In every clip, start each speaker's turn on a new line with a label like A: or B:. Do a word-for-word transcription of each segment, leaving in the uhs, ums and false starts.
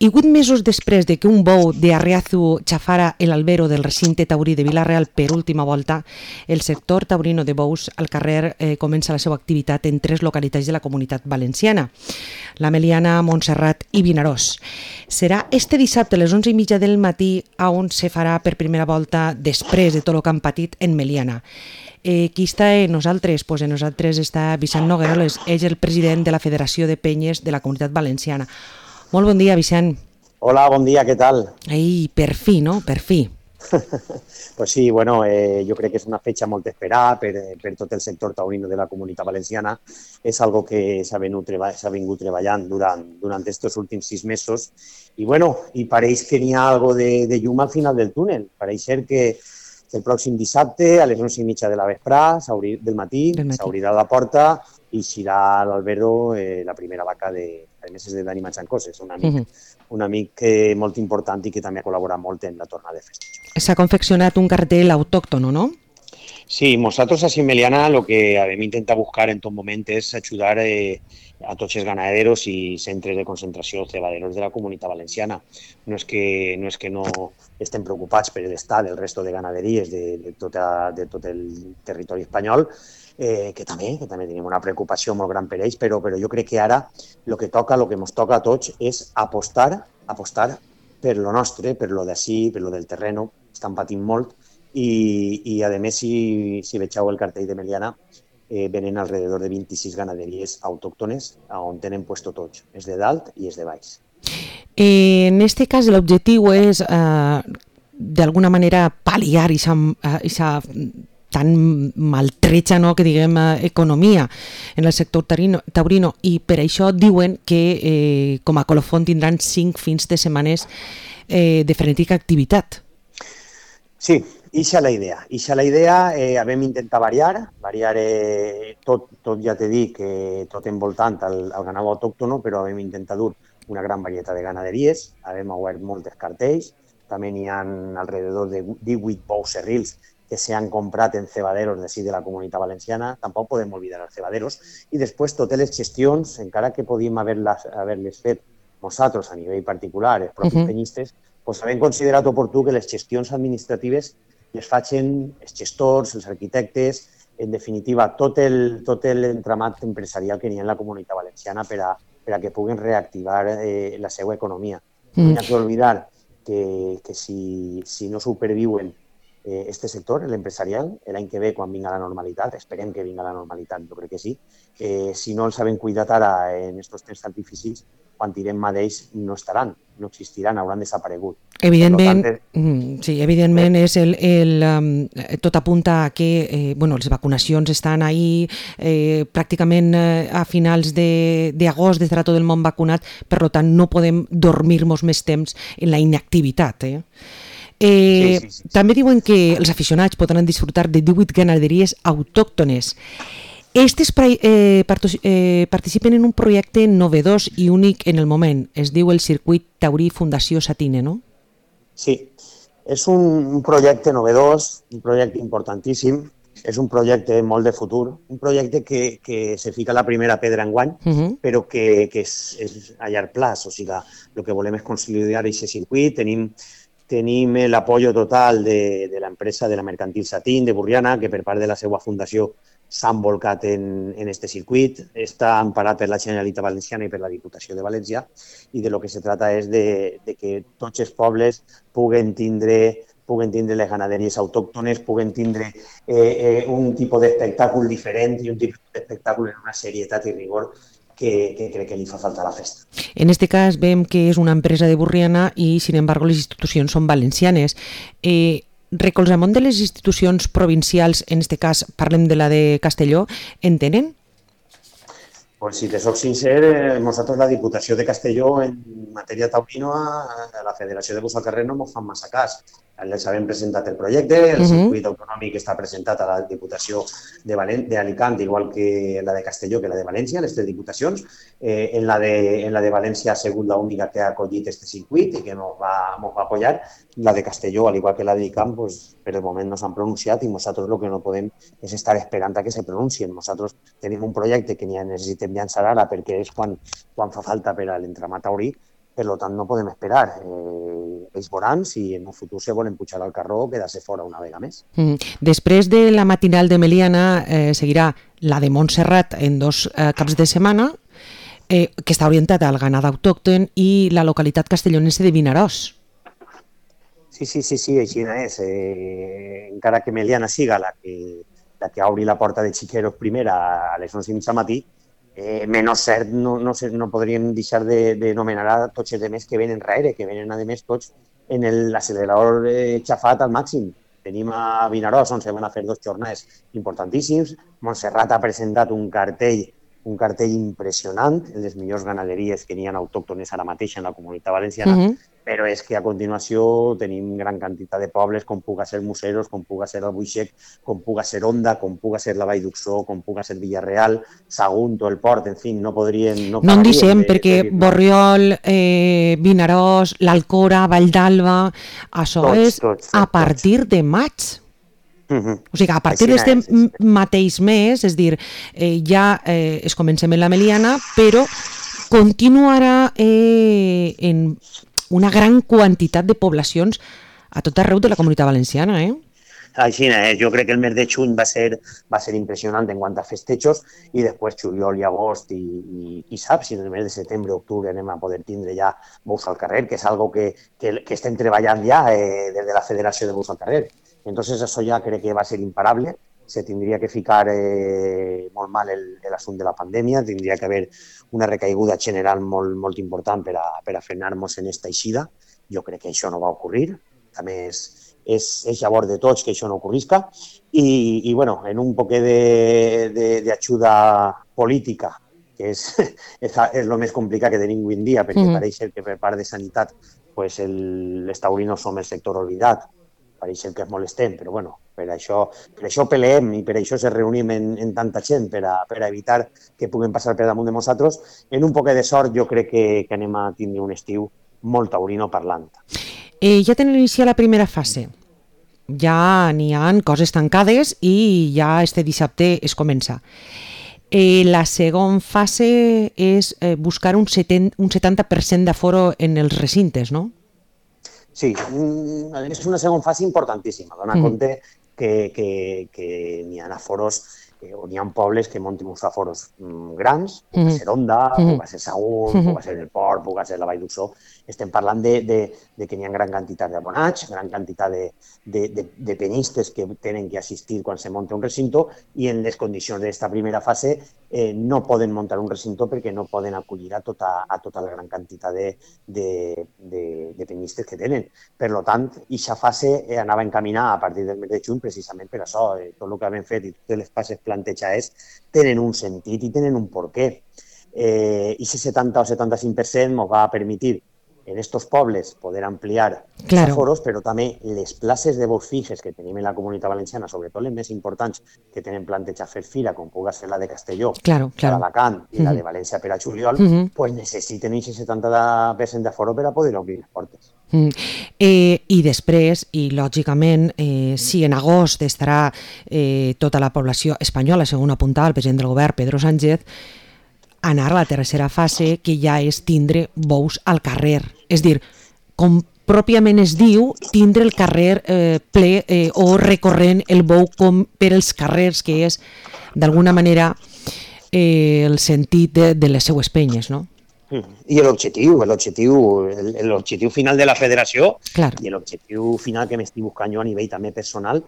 A: I vuit mesos després de que un bou de Arriazu xafara l'albero del recinte taurí de Vila-real per última volta, el sector taurino de bous al carrer eh, comença la seva activitat en tres localitats de la Comunitat Valenciana: la Meliana, Montserrat i Vinaròs. Serà este dissabte a les onze i mitja del matí on se farà per primera volta després de tot el que han patit en Meliana. Eh, qui està en nosaltres? Pues en nosaltres està Vicent Nogueroles, és el president de la Federació de Penyes de la Comunitat Valenciana. Molt bon dia, Vicent.
B: Hola, bon dia, què tal?
A: Ei, per fi, no? Per fi.
B: Pues sí, bueno, eh, jo crec que és una fetge molt esperada per, per tot el sector taurino de la Comunitat Valenciana. És algo que s'ha vingut treballant durant, durant estos últims sis mesos i, bueno, i pareix que n'hi ha algo de, de llum al final del túnel. Pareix ser que el pròxim dissabte, a les onze i mitja de la vesprà, del matí, s'obrirà la porta i eixirà l'Albero eh, la primera vaca de, a més és de Dani Matxancoses, un amic, uh -huh. un amic que, molt important i que també ha col·laborat molt en la tornada de festeig.
A: S'ha confeccionat un cartell autòctono, no?
B: Sí, nosaltres a Meliana lo que hem intentat buscar en tot moment és ajudar eh, a tots els ganaderos i centres de concentració cebaderos de la Comunitat Valenciana. No és que no, és que no estem preocupats per l'estat del resto de ganaderies de, de, tota, de tot el territori espanyol, eh, que també que també tenim una preocupació molt gran per ells, però, però jo crec que ara el que toca, el que ens toca a tots és apostar, apostar per lo nostre, per lo d'ací, per lo del terreno, estan patint molt, i, i a més, si, si vegeu el cartell de Meliana, eh, venen alrededor de vint-i-sis ganaderies autòctones on tenen puesto tots, és de dalt i és de baix.
A: Eh, en este cas l'objectiu és eh, d'alguna manera pal·liar aquesta tan maltrecha, no, que diguem, economia en el sector taurino, i per això diuen que eh, com a colofon tindran cinc fins de setmanes eh, de frenètica activitat.
B: Sí, ixa la idea. Ixa la idea, eh, hem intentat variar, variar eh, tot, tot ja t'he dit que tot envoltant al, al ganado autòctono, però hem intentat dur una gran varietat de ganaderies, hem obert moltes cartells, també n'hi ha alrededor de divuit bous serrils que s'han comprat en cebaderos d'ací de la Comunitat Valenciana, tampoc podem oblidar els cebaderos, i després totes les gestions, encara que podíem haver-les haver fet nosaltres a nivell particular, els propis uh -huh. penyistes, doncs hem considerat oportú que les gestions administratives les facin els gestors, els arquitectes, en definitiva, tot el, tot l'entramat empresarial que n'hi ha en la Comunitat Valenciana per a, per a que puguin reactivar eh, la seva economia. No hi ha que oblidar que, que si, si no superviuen eh, este sector, l'empresarial, l'any que ve, quan vinga la normalitat, esperem que vinga la normalitat, jo crec que sí, eh, si no els sabem cuidar ara en aquests temps tan difícils, quan tirem mà d'ells no estaran, no existiran, hauran desaparegut.
A: Evidentment, tant, sí, evidentment és el, el, um, tot apunta a que eh, bueno, les vacunacions estan ahí, eh, pràcticament eh, a finals d'agost estarà tot el món vacunat, per tant no podem dormir-nos més temps en la inactivitat. Eh? Eh, sí, sí, sí, sí. També diuen que els aficionats podran disfrutar de divuit ganaderies autòctones. Estes eh, eh, participen en un projecte novedós i únic en el moment. Es diu el Circuit Taurí Fundació Satine, no?
B: Sí, és un, un projecte novedós, un projecte importantíssim, és un projecte molt de futur, un projecte que, que se fica la primera pedra enguany, uh -huh. però que, que és, és a llarg plaç. O sigui, el que volem és consolidar aquest circuit. Tenim Tenim l'apoyo total de, de l'empresa de la Mercantil Satín de Burriana, que per part de la seva fundació s'han volcat en, en este circuit. Està emparat per la Generalitat Valenciana i per la Diputació de València, i de lo que se trata és de, de que tots els pobles puguen tindre, puguen tindre les ganaderies autòctones, puguen tindre eh, eh, un tipus d'espectacle diferent i un tipus d'espectacle en una serietat i rigor que, que crec que li fa falta a la festa.
A: En este cas veiem que és una empresa de Burriana i, sin embargo, les institucions són valencianes. Eh, recolzament de les institucions provincials, en este cas parlem de la de Castelló, en tenen?
B: Pues si te soc sincer, eh, nosaltres la Diputació de Castelló en matèria taurina, a la Federació de Bous al Carrer no ens fan massa cas. Els havem presentat el projecte, el uh -huh. circuit autonòmic està presentat a la Diputació d'Alicant, igual que la de Castelló, que la de València, les tres diputacions. Eh, en, la de, en la de València ha sigut l'única que ha acollit aquest circuit i que ens va, va apoyar. La de Castelló, al igual que la d'Alicant, pues, per el moment no s'han pronunciat i nosaltres el que no podem és estar esperant a que se pronuncien. Nosaltres tenim un projecte que necessitem llançar ara perquè és quan, quan fa falta per a l'entramat taurí, per tant no podem esperar. Eh, ells veuran si en el futur se volen pujar al carró o quedar-se fora una vegada més.
A: Mm. Després de la matinal de Meliana eh, seguirà la de Montserrat en dos eh, caps de setmana, eh, que està orientada al ganat autòcton, i la localitat castellonense de Vinaròs.
B: Sí, sí, sí, sí, així és. Eh, encara que Meliana siga la que, la que obri la porta de Xiqueros primera a les onze i mitja matí, eh, menys cert no, no, no podríem deixar de, de nomenar a tots els demés que venen darrere, que venen a més tots en l'accelerador eh, xafat al màxim. Tenim a Vinaròs, on se van a fer dos jornades importantíssims. Montserrat ha presentat un cartell un cartell impressionant, les millors ganaderies que n'hi ha autòctones ara mateix en la Comunitat Valenciana, uh-huh. però és que a continuació tenim gran quantitat de pobles, com puga ser Museros, com puga ser Albuixec, com puga ser Onda, com puga ser la Vall d'Uxó, com puga ser Villarreal, Sagunto, el Port, en fi, no podrien...
A: No, no en deixem, de, perquè de Borriol, eh, Vinaròs, l'Alcora, Vall d'Alba, això tots, és tots, tots, a partir tots. de maig. Uh-huh. O sigui que a partir d'aquest mateix mes, és dir, eh, ja eh, es comencem en la Meliana, però continuarà eh, en una gran quantitat de poblacions a tot arreu de la Comunitat Valenciana, eh?
B: Així és, jo crec que el mes de juny va ser, va ser impressionant en quant a festejos i després juliol i agost i, i, i saps, si en el mes de setembre o octubre anem a poder tindre ja bous al carrer, que és algo que, que, que estem treballant ja eh, des de la Federació de Bous al Carrer. Entonces eso ya creo que va a ser imparable, se tendría que ficar eh, molt mal el, el assumpte de la pandèmia, tindria que haver una recaiguda general molt, molt important per a, per a frenar-nos en esta eixida. Jo crec que això no va ocurrir, també és, és, és llavor de tots que això no ocorrisca i, i bueno, en un poquet d'ajuda política, que és, és, és el més complicat que tenim avui en dia, perquè mm-hmm. pareix que per part de sanitat pues el, els taurinos som el sector oblidat, pareix que es molestem, però bueno, per això, per això peleem i per això se reunim en, en tanta gent, per a, per a evitar que puguen passar per damunt de nosaltres. En un poc de sort jo crec que, que anem a tindre un estiu molt taurino parlant.
A: Eh, ja tenen iniciat la primera fase. Ja n'hi ha coses tancades i ja este dissabte es comença. Eh, la segona fase és eh, buscar un, setenta, un setanta per cent d'aforo en els recintes, no?
B: Sí, és una segona fase importantíssima. Dona mm. compte que, que, que n'hi ha aforos eh, o n'hi ha pobles que munten uns aforos mm, grans, mm. puga ser Onda, mm. puga ser Sagunt, mm. puga ser el Port, puga ser la Vall d'Uxó. Estem parlant de, de, de que n'hi ha gran quantitat d'abonats, gran quantitat de, de, de, de penyistes que tenen que assistir quan se munta un recinto i en les condicions d'aquesta primera fase eh, no poden muntar un recinto perquè no poden acollir a tota, a tota la gran quantitat de, de, de, de penyistes que tenen. Per tant, aquesta fase eh, anava encaminada a partir del mes de juny precisament per això. Eh, tot el que hem fet i totes les fases plantejades tenen un sentit i tenen un porquè. Eh, I ese setanta o setanta-cinc per cent ens va permetre en estos pobles poder ampliar claro. els aforos, però també les places de bous fixes que tenim en la Comunitat Valenciana, sobretot les més importants que tenen plantejat fer fira, com puga ser la de Castelló,
A: claro, claro.
B: l'Alacant i uh-huh. la de València per a juliol, uh-huh. pues necessiten aquest setanta per cent d'aforo per a poder obrir les portes.
A: Mm. Eh, I després, i lògicament, eh, si en agost estarà eh, tota la població espanyola, segons apuntava el president del govern, Pedro Sánchez, anar a la tercera fase, que ja és tindre bous al carrer. És dir, com pròpiament es diu, tindre el carrer eh, ple eh, o recorrent el bou com per els carrers, que és, d'alguna manera, eh, el sentit de, de les seues penyes, no?
B: I l'objectiu, l'objectiu, l'objectiu final de la federació
A: claro.
B: i l'objectiu final que m'estic buscant jo a nivell també personal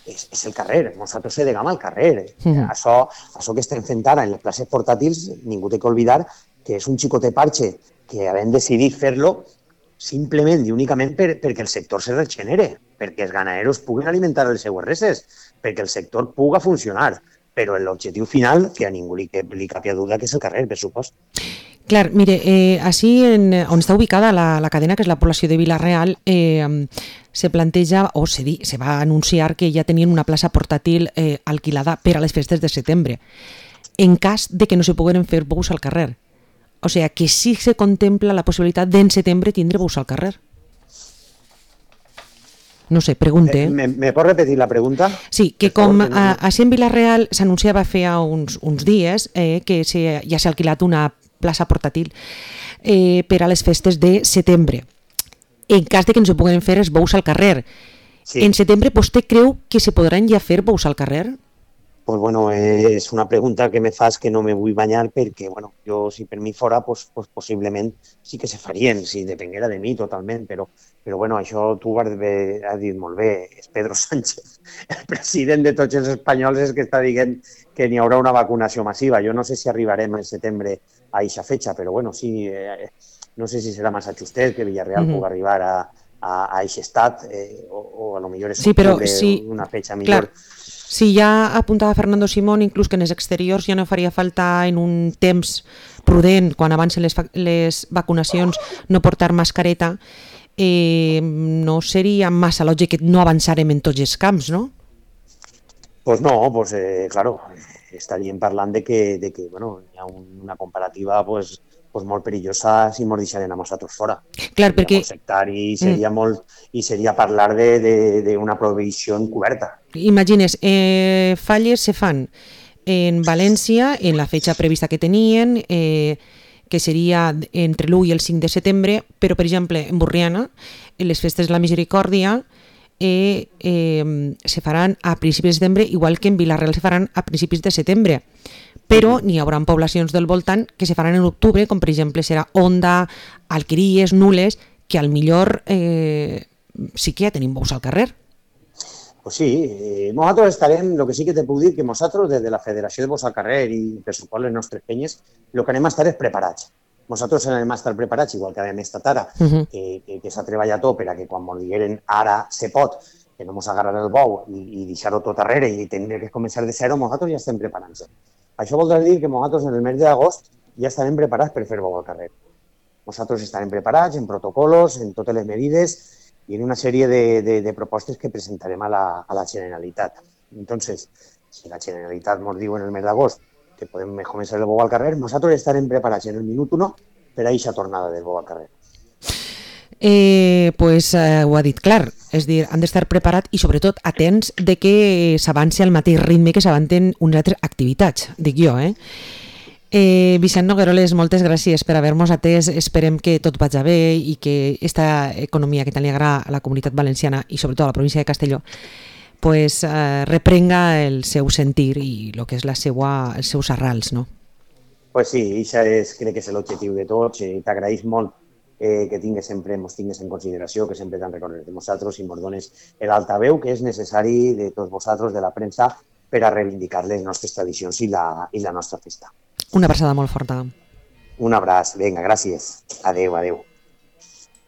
B: és, és el carrer. Nosaltres se degam al carrer. Mm. Això, això que estem fent ara en les places portàtils, ningú té que oblidar que és un xicotet parche que havem decidit fer-lo simplement i únicament per, perquè el sector se regenere, perquè els ganaderos puguin alimentar les seues reses, perquè el sector puga funcionar. Però l'objectiu final, que a ningú li, li capia duda, que és el carrer, per supost.
A: Clar, mire, eh, així en, on està ubicada la, la cadena, que és la població de Vila-real, eh, se planteja, o se, di, se va anunciar que ja tenien una plaça portàtil eh, alquilada per a les festes de setembre, en cas de que no se pogueren fer bous al carrer. O sigui, que sí se contempla la possibilitat d'en setembre tindre bous al carrer. No sé, pregunte.
B: Eh, me, me pot repetir la pregunta?
A: Sí, que com a, a en Vila-real s'anunciava feia uns, uns dies eh, que se, ja s'ha alquilat una plaça portàtil eh, per a les festes de setembre. En cas de que no se puguen fer els bous al carrer. Sí. En setembre, vostè creu que se podran ja fer bous al carrer?
B: Pues bueno, eh, és una pregunta que me fas que no me vull banyar perquè, bueno, jo si per mi fora, pues, pues possiblement sí que se farien, si depenguera de mi totalment, però, però bueno, això tu ho has, de, has dit molt bé, és Pedro Sánchez, el president de tots els espanyols, és que està dient que n'hi haurà una vacunació massiva. Jo no sé si arribarem en setembre a eixa fetxa, però bueno, sí, eh, no sé si serà Massachusetts, que Villarreal mm-hmm. pugui arribar a, a, a eixe estat, eh, o, o a lo millor és
A: sí, però, sí,
B: una fetxa millor.
A: Clar. Sí, ja apuntava Fernando Simón, inclús que en els exteriors ja no faria falta en un temps prudent, quan avancen les, les vacunacions, no portar mascareta, eh, no seria massa lògic que no avançarem en tots els camps, no?
B: Pues no, pues eh, claro, estaríem parlant de que, de que bueno, hi ha una comparativa pues, pues molt perillosa si ens deixaren a nosaltres fora.
A: Clar,
B: seria
A: perquè...
B: molt sectari i seria, mm. molt, i seria parlar d'una prohibició encoberta.
A: Imagines, eh, falles se fan en València, en la fetxa prevista que tenien, eh, que seria entre l'u i el cinc de setembre, però, per exemple, en Borriana, en les festes de la Misericòrdia, eh, eh, se faran a principis de setembre, igual que en Vila-real se faran a principis de setembre. Però n'hi haurà poblacions del voltant que se faran en octubre, com per exemple serà Onda, Alqueries, Nules, que al millor eh, sí que ja tenim bous al carrer.
B: Pues sí, eh, nosaltres estarem, el que sí que te puc dir, que nosaltres des de la Federació de Bous al Carrer i per suport les nostres penyes, el que anem a estar és preparats. Nosaltres anem a estar preparats, igual que hem estat ara, uh-huh. que, que, que s'ha treballat tot per a que quan ens digueren ara se pot, que no ens agarrar el bou i, i deixar-ho tot darrere i tenir que començar de zero, nosaltres ja estem preparant-se. Això voldrà dir que nosaltres en el mes d'agost ja estarem preparats per fer bou al carrer. Nosaltres estarem preparats en protocolos, en totes les medides i en una sèrie de, de, de propostes que presentarem a la, a la Generalitat. Entonces, si la Generalitat ens diu en el mes d'agost que podem començar el bou al carrer, nosaltres estarem preparats en el minut uno per a aquesta tornada del bou al carrer.
A: Eh, pues eh, ho ha dit clar, és dir, han d'estar preparats i sobretot atents de que s'avanci al mateix ritme que s'avancen unes altres activitats, dic jo, eh? Eh, Vicent Nogueroles, moltes gràcies per haver-nos atès, esperem que tot vagi bé i que aquesta economia que tant li agrada a la comunitat valenciana i sobretot a la província de Castelló pues, eh, reprenga el seu sentir i el que és la seua, els seus arrals, no?
B: Pues sí, això és, crec que és l'objectiu de tots i t'agraïs molt eh, que tingues sempre, mos tingues en consideració, que sempre t'han recordat de nosaltres i mos dones l'altaveu que és necessari de tots vosaltres, de la premsa, per a reivindicar les nostres tradicions i la, i la nostra festa.
A: Una abraçada molt forta.
B: Un abraç, vinga, gràcies. Adéu, adéu.